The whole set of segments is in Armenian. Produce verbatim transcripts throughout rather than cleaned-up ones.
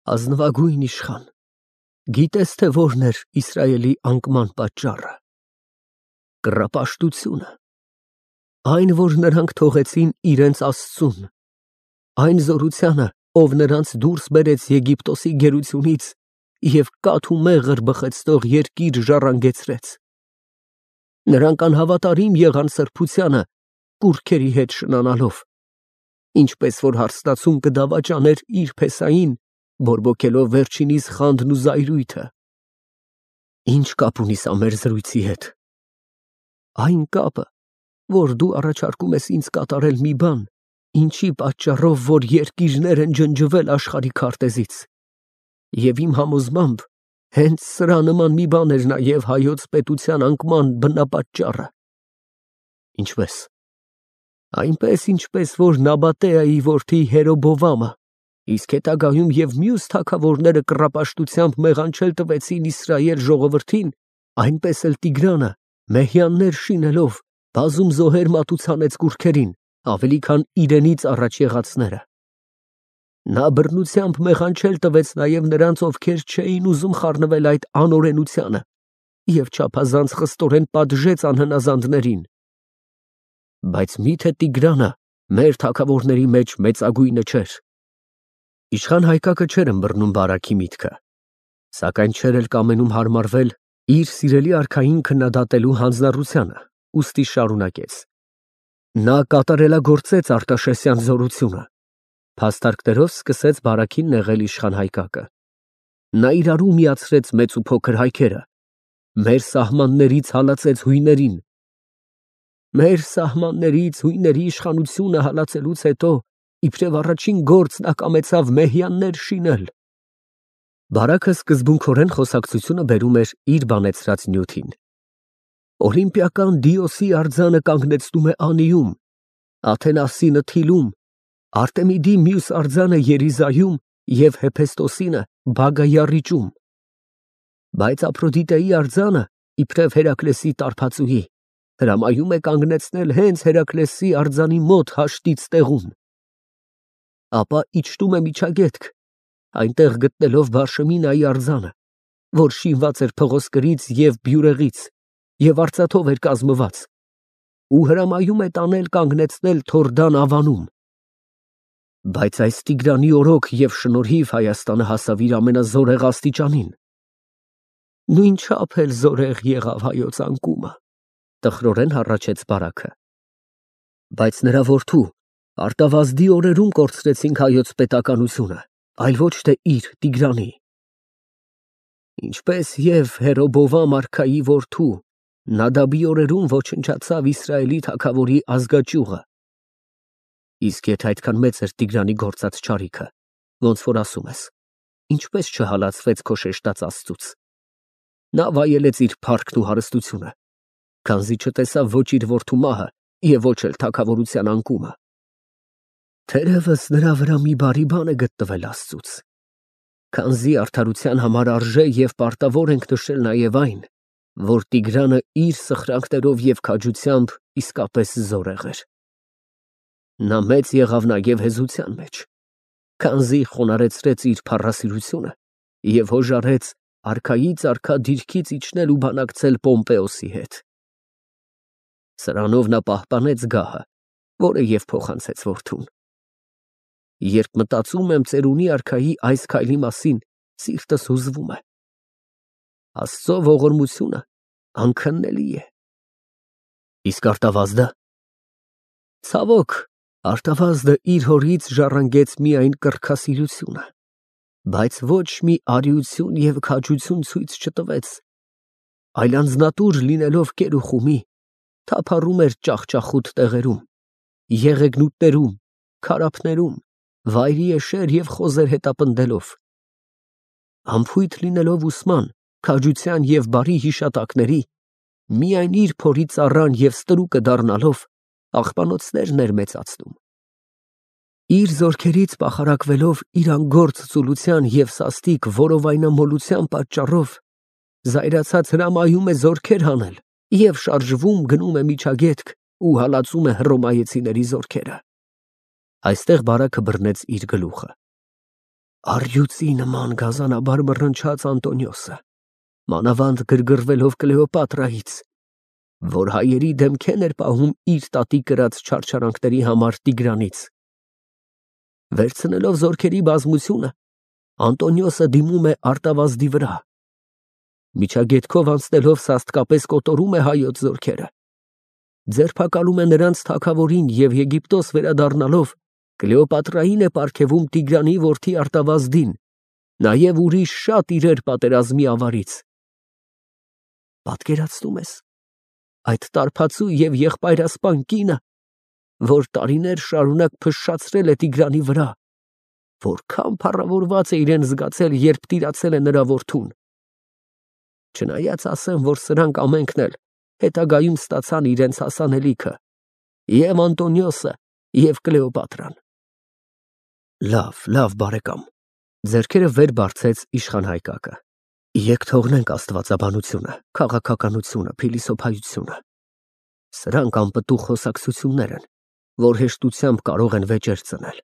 Ազնվագույն իշխան, գիտես թե որն էր Իսրայելի անկման պատճառը։ Կռապաշտությունը, այն, որ նրանք թողեցին իրենց Աստծուն, այն զորությանը, ով նրանց դուրս բերեց Եգիպտոսի գերությունից և կաթ ու մեղր բխեցնող երկիր ժառանգեցրեց։ Նրանք անհավատարիմ եղան սրբությանը, կուռքերի հետ շնանալով, ինչպես որ հարստացում կդավաճաներ իր փեսային, բորբոքելով վերջինիս խանդն ու զայրույթը։ Ինչ կապ ունի սա մեր զրույցի հետ։ Այն կապը, որ դու առաջարկում ես ինձ կատարել մի բան, ինչի պատճառով, որ երկիրներ են ջնջվել աշխարհի քարտեզից, և իմ համոզմամբ հենց սրա նման մի բան էր նաև հայոց պետության անկման բնապատճառը։ Ինչպես։ Այնպես, ինչպես որ Նաբատեայի որդի Երոբոամը, իսկ հետագայում և մյուս թագավորները կռապաշտությամբ մեղանչել տվեցին Իսրայել ժողովրդին, այնպես էլ Տիգրանը, մեհյաններ շինելով, բազում զոհեր մատուցանեց կուռքերին, ավելի քան իրենից առաջ եղածները։ Նա բռնությամբ մեղանչել տվեց նաև նրանց, ովքեր չէին ուզում խառնվել այդ անօրենությանը, և չափազանց խստորեն պատժեց անհնազանդներին։ Բայց մի՞թե Տիգրանը մեր թագավորների մեջ մեծագույնը չէր։ Իշխան Հայկակը չէր ըմբռնում Բարաքի միտքը, սակայն չէր էլ կամենում հարմարվել իր սիրելի արքային քննադատելու հանձնառությանը, ուստի շարունակեց. Նա կատարելագործեց Արտաշեսյան զորությունը, փաստարկներով սկսեց Բարաքին նեղել իշխան Հայկակը։ Նա իրարու միացրեց մեծ ու փոքր հայքերը, մեր սահմաններից հալածեց հույներին։ Մեր սահմաններից հույների իշխանությունը հալածելուց հետո, իբրև առաջին գործ նա կամեցավ մեհյաններ շինել։ Բարաքը սկզբունքորեն խոսակցությունը բերում էր իր բանեցրած նյութին։ Օլիմպիական Դիոսի արձանը կանգնեցնում է անիում, Աթենասինը թիլում, Արտեմիդի մյուս արձանը Երիզայում և Հեփեստոսինը Բագայառիճում։ Բայց Աֆրոդիտեի արձանը, իբրև Հերակլեսի տարբածուի, հրամայում է կանգնեցնել հենց Հերակլեսի արձանի մոտ հաշտից տեղում։ Ապա իջնում է միջագետք, այնտեղ գտնելով Բարշեմինայի արձանը, որ շինված էր փղոսկրից և բյուրեղից և արծաթով էր կազմված, ու հրամայում է տանել կանգնեցնել Թորդան ավանում։ Բայց այս Տիգրանի օրոք և շնորհիվ Հայաստանը հասավ իր ամենազորեղ աստիճանին։ Նույնչափ էլ զորեղ եղավ հայոց անկումը, տխրորեն հառաչեց Բարաքը։ Բայց նրա որդու Արտավազդի օրերում կորցրեցինք հայոց պետականությունը, այլ ոչ թե իր Տիգրանի։ Ինչպես և Հերոբովամ արքայի որդու Նադաբի օրերում ոչնչացավ Իսրայելի թագավորի ազգաճյուղը։ Իսկ եթե այդքան մեծ էր Տիգրանի գործած չարիքը, ոնց որ ասում ես, ինչպես չհալածվեց քո շեշտած Աստծուց։ Նա վայելեց իր փառքն ու հարստությունը, քանզի չտեսավ ոչ իր որդու մահը և ոչ էլ թագավորության անկումը։ Թերևս նրա վրա մի բարի բան է գտնվել Աստծուց, քանզի արդարության համար արժե և պարտավոր ենք նշել նաև այն, որ Տիգրանը իր սխրանքներով և քաջությամբ իսկապես զորեղ էր։ Նա մեծ եղավ նաև հեզության մեջ, քանզի խոնարհեցրեց իր փառասիրությունը և հոժարեց արքայից արքա դիրքից իջնել ու բանակցել Պոմպեոսի հետ։ Սրանով նա պահպանեց գահը, որը և փոխանցեց որդուն։ Երբ մտածում եմ ծերունի արքայի այս քայլի մասին, սիրտս հուզվում է։ Աստծո ողորմությունը անքննելի է։ Իսկ Արտավազդը։ Ցավոք, Արտավազդը իր հորից ժառանգեց միայն կրքասիրությունը, բայց ոչ մի արիություն և քաջություն ցույց չտվեց, այլ անձնատուր լինելով կեր ու խումի, թափառում էր ճախճախուտ տեղերում, եղեգնուտներում, քարափներում, վայրիեշեր և խոզեր հետապնդելով։ Անփույթ լինելով ուսման, քաջության և բարի հիշատակների, միայն իր փորի ծառան և ստրուկը դառնալով, աղբանոցներն էր մեծացնում։ Իր զորքերից պախարակվելով իր անգործ ծուլության և սաստիկ որովայնամոլության պատճառով, զայրացած հրամայում է զորքեր հանել և շարժվում գնում է միջագետք ու հալածում է հռոմեացիների զորքերը։ Այստեղ Բարաքը բռնեց իր գլուխը։ Առյուծի նման գազանաբար մռնչաց Անտոնիոսը, մանավանդ գրգռվելով Կլեոպատրայից, որ հայերի դեմքեն էր պահում իր տատի կրած չարչարանքների համար Տիգրանից։ Վերցնելով զորքերի բազմությունը, Անտոնիոսը դիմում է Արտավազդի վրա։ Միջագետքով անցնելով սաստկապես կոտորում է հայոց զորքերը։ Ձերբակալում է նրանց թագավորին և Եգիպտոս վերադառնալով Կլեոպատրային է պարգևում Տիգրանի որդի Արտավազդին, նաև ուրիշ շատ իրեր պատերազմի ավարից։ Պատկերացնում ես այդ տարբացու և եղբայրասպան կինը, որ տարիներ շարունակ փշշացրել է Տիգրանի վրա, որքան փառավորված է իրեն զգացել, երբ տիրացել է նրա որդուն։ Չնայած ասեմ, որ սրանք ամենքն էլ հետագայում ստացան իրենց հասանելիքը, և Անտոնիոսը, և Կլեոպատրան։ Լավ, լավ, բարեկամ, ձեռքերը վեր բարձեց իշխան Հայկակը, եկ թողնենք աստվածաբանությունը, քաղաքականությունը, փիլիսոփայությունը։ Սրանք անպտուղ խոսակցություններ են, որ հեշտությամբ կարող են վեճեր ծնել։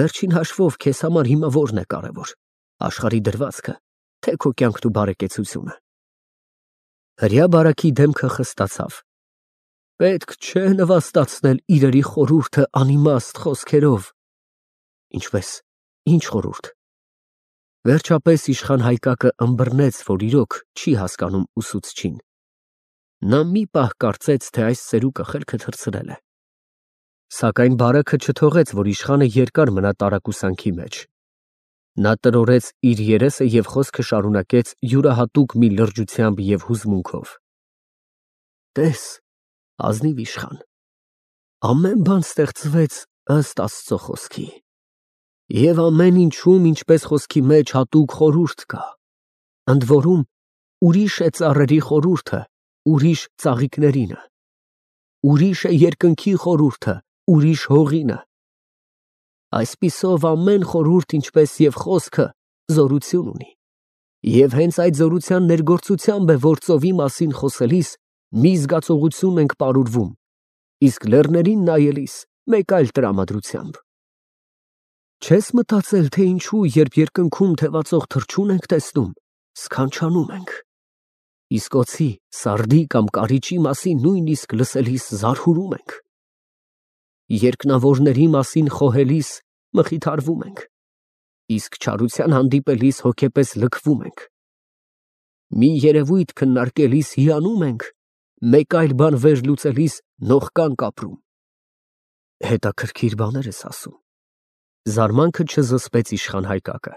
Վերջին հաշվով քեզ համար հիմա որն է կարևոր, աշխարհի դրվածքը, թե քո կյանքն ու բարեկեցությունը։ Հրյա բարակի դեմքը խստացավ։ Պետք չէ նվաստացնել իրերի խորհուրդը անիմաստ խոսքերով։ Ինչպես, ինչ խորհուրդ։ Վերջապես իշխան Հայկակը ըմբռնեց, որ իրոք չի հասկանում ուսուցչին։ Նա մի պահ կարծեց, թե այս ծերուկը խելքը թռցրել է։ Սակայն բարակը չթողեց, որ իշխանը երկար մնա տարակուսանքի մեջ։ Նա տրորեց իր երեսը և խոսքը շարունակեց յուրահատուկ մի լրջությամբ և հուզմունքով. Տես, ազնիվ իշխան, ամեն բան ստեղծվեց ըստ Աստծո խոսքի, և ամեն ինչում, ինչպես խոսքի մեջ, հատուկ խորհուրդ կա, ընդ որում ուրիշ է ծառերի խորհուրդը, ուրիշ ծաղիկներինը, ուրիշ է երկնքի խորհուրդը, ուրիշ հողինը։ Այսպիսով ամեն խորհուրդ, ինչպես և խոսքը, զորություն ունի, և հենց այդ զորության ներգործությամբ է, որ ծովի մասին խոսելիս մի զգացողություն ենք պարուրվում, իսկ լեռներին նայելիս մեկ այլ տրամադրությամբ։ Չես մտածել, թե ինչու, երբ երկնքում թևածող թռչուն ենք տեսնում, սքանչանում ենք, իսկ օձի, սարդի կամ կարիճի մասին նույնիսկ լսելիս զարհուրում ենք, երկնավորների մասին խոհելիս մխիթարվում ենք, իսկ չարության հանդիպելիս հոգեպես լքվում ենք, մի երևույթ քննարկելիս հիանում ենք, մեկ այլ բան վերլուծելիս նողկանք ապրում։ Հետաքրքիր բաներ ես ասում։ Զարմանքը չզսպեց իշխան Հայկակը։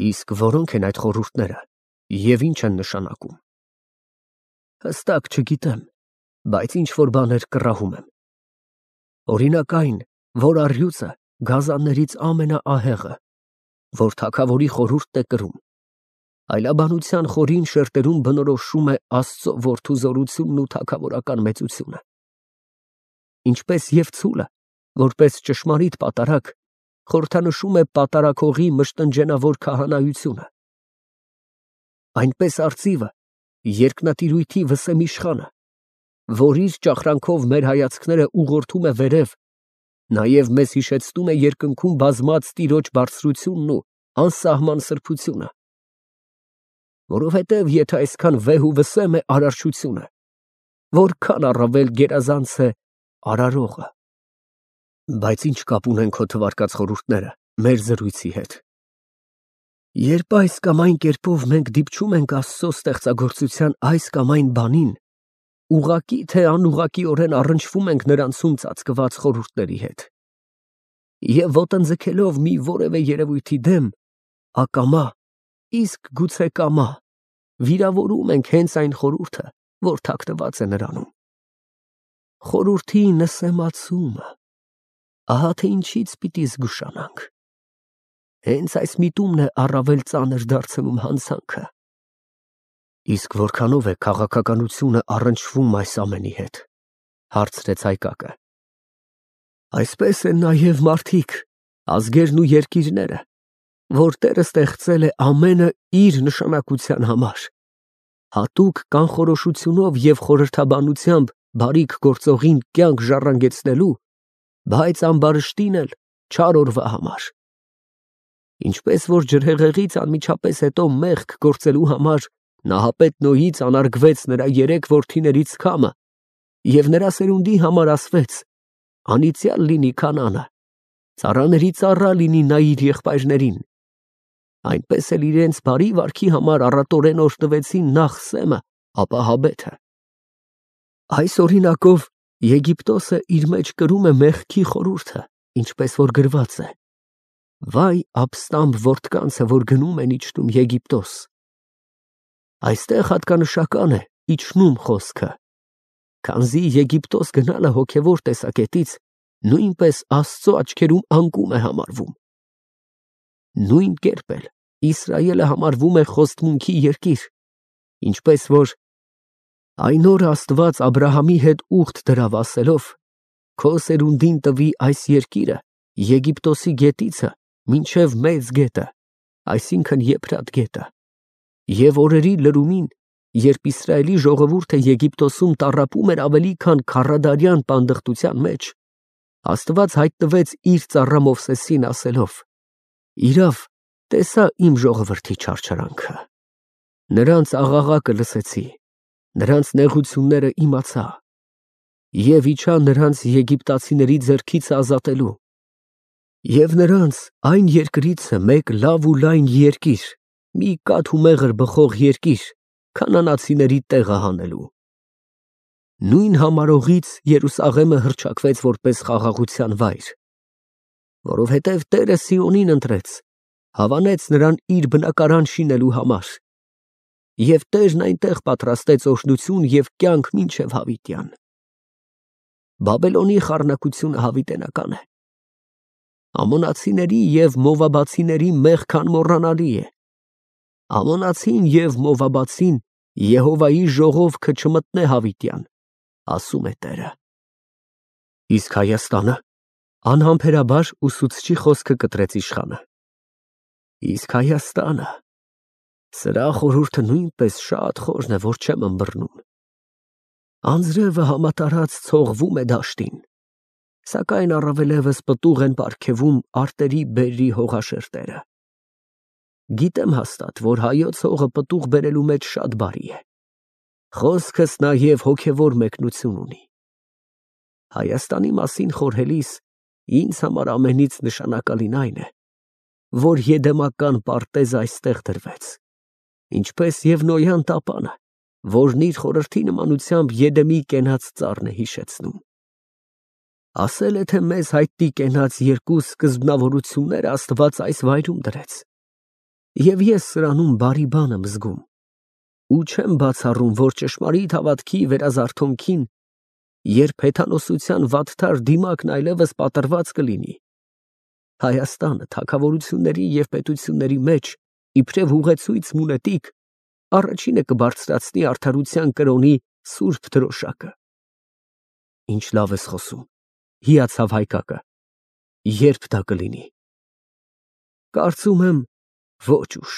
Իսկ որոնք են այդ խորհուրդները և ինչ են նշանակում։ Հստակ չգիտեմ, բայց ինչ-որ բաներ կռահում եմ։ Օրինակ այն, որ առյուծը գազաններից ամենաահեղը, որ թագավորի խորհուրդն է կրում, այլաբանության խորին շերտերում բնորոշում է Աստծո որդու զորությունն ու թագավորական մեծությունը, ինչպես և ցուլը, որպես ճշմարիտ պատարագ, խորհրդանշում է պատարագողի մշտնջենավոր քահանայությունը, այնպես արծիվը երկնատիրույթի վսեմ իշխանը, որ իր ճախրանքով մեր հայացքները ուղղորդում է վերև, նաև մեզ հիշեցնում է երկնքում բազմած տիրոջ բարձրությունն ու անսահման սրբությունը, որովհետև եթե այսքան վեհ ու վսեմ է արարչությունը, որքան առավել գերազանց է արարողը։ Բայց ինչ կապ ունեն քո թվարկած խորհուրդները մեր զրույցի հետ։ Երբ այս կամ այն կերպով մենք դիպչում ենք Աստծո ստեղծագործության այս կամ այն բանին, ուղղակի թե անուղղակիորեն առնչվում ենք նրանցում ծածկված խորհուրդների հետ։ Եվ ոտնձգելով մի որևէ երևույթի դեմ, ակամա, իսկ գուցե կամա, վիրավորում ենք հենց այն խորհուրդը, որ թաքնված է նրանում։ Խորհրդի նսեմացումը, ահա թե ինչից պիտի զգուշանանք։ Հենց այս միտումն է առավել ծանր դարձնում հանցանքը։ Իսկ որքանով է քաղաքականությունը առնչվում այս ամենի հետ, հարցրեց Հայկակը։ Այսպես են նաև մարդիկ, ազգերն ու երկիրները, որ Տերը ստեղծել է ամենը իր նշանակության համար, հատուկ կանխորոշությունով և խորհրդաբանությամբ բարիք գործողին կյանք ժառանգեցնելու, բայց ամբարշտին էլ չար օրվա համար։ Ինչպես որ ջրհեղեղից անմիջապես հետո մեղք գործելու համար Նահապետ Նոյից անարգվեց նրա երեք որդիներից քամը, և նրա սերունդի համար ասվեց. անիծյալ լինի Քանանը, ծառաների ծառա լինի նա իր եղբայրներին, այնպես էլ իրենց բարի վարքի համար առատորեն օրհնվեցին նախ Սեմը, ապա Հաբեթը։ Այս օրինակով Եգիպտոսը իր մեջ կրում է մեղքի խորհուրդը, ինչպես որ գրված է. վայ ապստամբ որդկանցը, որ գնում են իջնում Եգիպտոս։ Այստեղ հատկանշական է իջնում խոսքը, քանզի Եգիպտոս գնալը հոգևոր տեսակետից նույնպես Աստծո աչքերում անկում է համարվում։ Նույն կերպ էլ Իսրայելը համարվում է խոստմունքի երկիր, ինչպես որ այն օրը Աստված Աբրահամի հետ ուխտ դրավ ասելով. քո սերունդին տվի այս երկիրը Եգիպտոսի գետիցը մինչև Մեծ գետը, այսինքն Եփրատ գետը, և օրերի լրումին, երբ Իսրայելի ժողովուրդը Եգիպտոսում տառապում էր ավելի քան քառադարյան պանդխտության մեջ, Աստված հայտնվեց իր ծառա Մովսեսին ասելով. իրավ, տեսա իմ ժողովրդի չարչարանքը, նրանց աղաղակը լսեցի, նրանց նեղությունները իմացա, և իջա նրանց եգիպտացիների ձեռքից ազատելու, և նրանց այն երկրիցը մեկ լավ ու լայն երկիր, մի կաթ ու մեղր բխող երկիր, քանանացիների տեղը հանելու։ Նույն համարողից Երուսաղեմը հռչակվեց որպես խաղաղության վայր, որովհետև Տերը Սիոնին ընտրեց, հավանեց նրան իր բնակարան շինելու համար, և Տերն այնտեղ պատրաստեց օրհնություն և կյանք մինչև հավիտյան։ Բաբելոնի խառնակությունը հավիտենական է։ Ամոնացիների և Մովաբացիների մեղքը անմոռանալի է։ Ամոնացին և Մովաբացին Եհովայի ժողովքը չմտնե հավիտյան, ասում է Տերը։ Իսկ Հայաստանը, անհամբերաբար ուսուցչի խոսքը կտրեց իշխանը, իսկ Հայաստանը, սրա խորհուրդը նույնպես շատ խորն է, որ չեմ ըմբռնում։ Անձրևը համատարած ցողվում է դաշտին, սակայն առավելևս պտուղ են պարգևում արտերի բերրի հողաշերտերը։ Գիտեմ հաստատ, որ հայոց հողը պտուղ բերելու մեջ շատ բարի է, խոսքս նաև հոգևոր մեկնություն ունի։ Հայաստանի մասին խորհելիս ինձ համար ամենից նշանակալին այն է, որ եդեմական պարտեզը այստեղ դրվեց, ինչպես և Նոյան տապանը, որն իր խորհրդի նմանությամբ Եդեմի կենաց ծառն է հիշեցնում։ Ասել է, թե մեզ հայտնի կենաց երկու սկզբնավորությունները Աստված այս վայրում դրեց, և ես սրանում բարի բան եմ զգում, ու չեմ բացառում, որ ճշմարիտ հավատքի վերազարթոնքին, երբ հեթանոսության վատթար դիմակն այլևս պատռված կլինի, Հայաստանը թագավորությունների և պետությունների մեջ, իբրև ուղեցույց մունետիկ, առաջինը կբարձրացնի արդարության կրոնի սուրբ դրոշակը։ Ինչ լավ ես խոսում, հիացավ Հայկակը, երբ դա կլինի։ Կարծում եմ, ոչ ուշ։